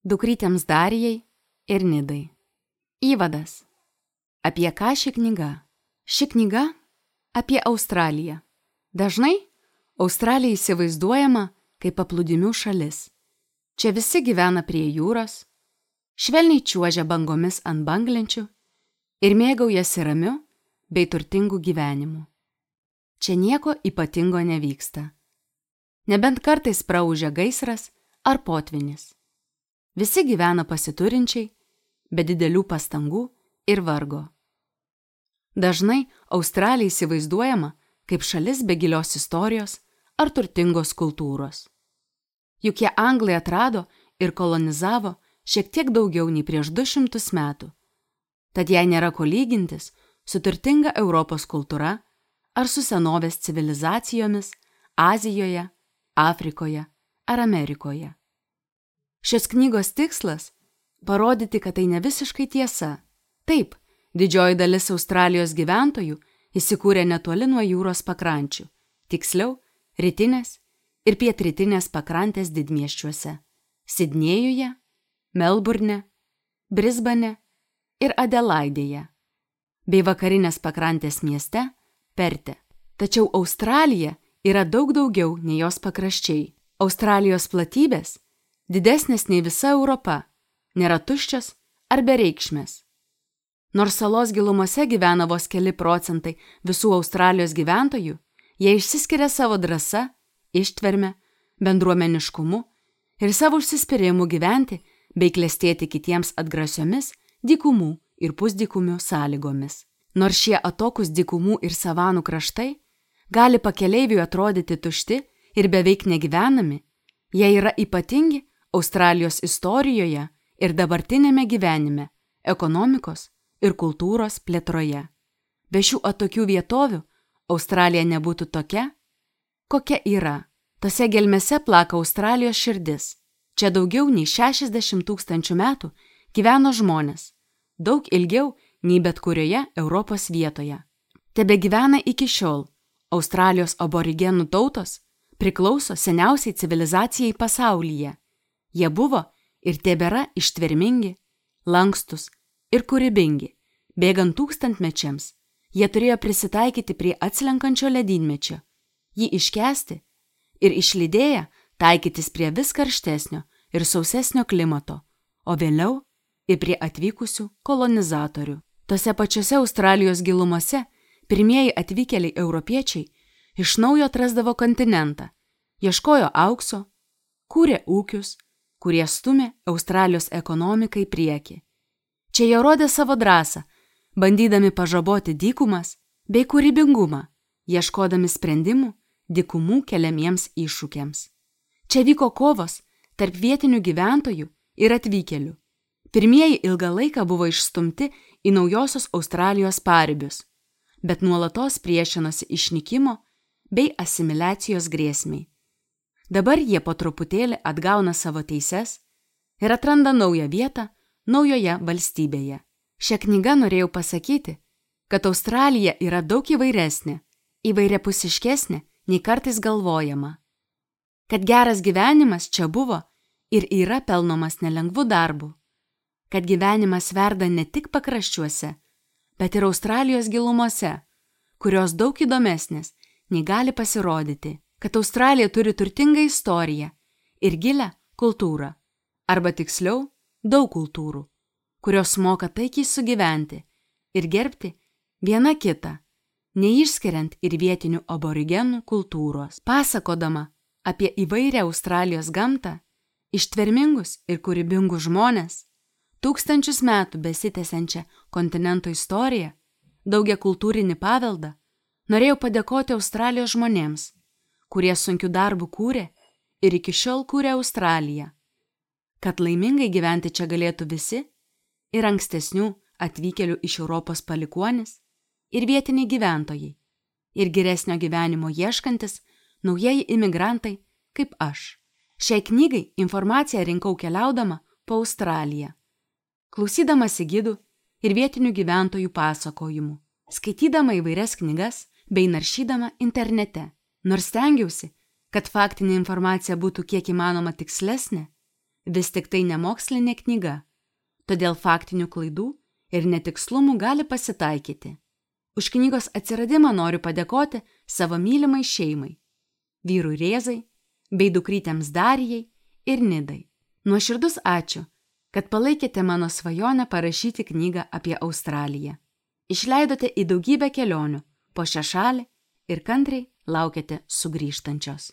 Dukrytėms Darijai ir Nidai. Įvadas. Apie ką ši knyga? Ši knyga apie Australiją. Dažnai Australija įsivaizduojama kaip paplūdimių šalis. Čia visi gyvena prie jūros, švelniai čiuožia bangomis ant banglenčių ir mėgaujasi ramiu bei turtingu gyvenimu. Čia nieko ypatingo nevyksta. Nebent kartais praūžia gaisras ar potvynis. Visi gyvena pasiturinčiai, be didelių pastangų ir vargo. Dažnai Australija įsivaizduojama kaip šalis be gilios istorijos ar turtingos kultūros. Juk jie Anglai atrado ir kolonizavo šiek tiek daugiau nei prieš 200 metų. Tad jai nėra ko lygintis su turtinga Europos kultūra ar su senovės civilizacijomis Azijoje, Afrikoje ar Amerikoje. Šios knygos tikslas – parodyti, kad tai ne visiškai tiesa. Taip, didžioji dalis Australijos gyventojų įsikūrė netoli nuo jūros pakrančių, tiksliau, rytinės ir pietrytinės pakrantės didmiesčiuose – Sidnėjuje, Melburne, Brisbane ir Adelaidėje, bei vakarinės pakrantės mieste – Perte. Tačiau Australija yra daug daugiau nei jos pakraščiai. Australijos platybės – didesnės nei visa Europa, nėra tuščios ar bereikšmės. Nors salos gilumose gyvena vos keli procentai visų Australijos gyventojų, jie išsiskiria savo drąsa, ištverme, bendruomeniškumu ir savo užsispyrimu gyventi bei klestėti kitiems atgrasiomis dykumų ir pusdykumių sąlygomis. Nors šie atokūs dykumų ir savanų kraštai gali pakeleiviui atrodyti tušti ir beveik negyvenami, jie yra ypatingi Australijos istorijoje ir dabartinėme gyvenime, ekonomikos ir kultūros plėtroje. Be šių atokių vietovių Australija nebūtų tokia, kokia yra. Tose gelmėse plaka Australijos širdis. Čia daugiau nei 60 000 metų gyveno žmonės, daug ilgiau nei bet kurioje Europos vietoje. Tebegyvena iki šiol. Australijos aborigenų tautos priklauso seniausiai civilizacijai pasaulyje. Jie buvo ir tebėra ištvermingi, lankstus ir kūrybingi. Bėgant tūkstantmečiams, jie turėjo prisitaikyti prie atslenkančio ledynmečio, jį iškęsti ir išlydėję taikytis prie vis karštesnio ir sausesnio klimato, o vėliau ir prie atvykusių kolonizatorių. Tose pačiose Australijos gilumose pirmieji atvykėliai europiečiai iš naujo atrasdavo kontinentą, ieškojo aukso, kūrė ūkius, kurie stumė Australijos ekonomiką į priekį. Čia jie rodė savo drąsą, bandydami pažaboti dykumas bei kūrybingumą, ieškodami sprendimų dykumų keliamiems iššūkiams. Čia vyko kovos tarp vietinių gyventojų ir atvykėlių. Pirmieji ilgą laiką buvo išstumti į naujosios Australijos paribius, bet nuolatos priešinosi išnykimo bei asimiliacijos grėsmei. Dabar jie po truputėlį atgauna savo teises ir atranda naują vietą naujoje valstybėje. Šią knygą norėjau pasakyti, kad Australija yra daug įvairesnė, įvairiapusiškesnė nei kartais galvojama. Kad geras gyvenimas čia buvo ir yra pelnomas nelengvu darbu. Kad gyvenimas verda ne tik pakraščiuose, bet ir Australijos gilumose, kurios daug įdomesnės nei gali pasirodyti. Kad Australija turi turtingą istoriją ir gilią kultūrą, arba tiksliau, daug kultūrų, kurios moka taikiai sugyventi ir gerbti viena kitą, neišskiriant ir vietinių aborigenų kultūros. Pasakodama apie įvairią Australijos gamtą, ištvermingus ir kūrybingus žmones, tūkstančius metų besitęsiančią kontinento istoriją, daugiakultūrinį paveldą, norėjau padėkoti Australijos žmonėms, kurie sunkiu darbu kūrė ir iki šiol kūrė Australiją. Kad laimingai gyventi čia galėtų visi, ir ankstesnių atvykėlių iš Europos palikuonis, ir vietiniai gyventojai, ir geresnio gyvenimo ieškantis naujieji imigrantai kaip aš. Šiai knygai informaciją rinkau keliaudama po Australiją, klausydamasi gidų ir vietinių gyventojų pasakojimų, skaitydama įvairias knygas bei naršydama internete. Nors stengiausi, kad faktinė informacija būtų kiek įmanoma tikslesnė, Vis tik tai nemokslinė knyga, todėl faktinių klaidų ir netikslumų gali pasitaikyti. Už knygos atsiradimą noriu padėkoti savo mylimai šeimai, vyrui Rėzai, bei dukrytėms Darijai ir Nidai. Nuoširdus ačiū, kad palaikėte mano svajonę parašyti knygą apie Australiją. Išleidote į daugybę kelionių po šią šalį ir kantriai laukiate sugrįžtančios.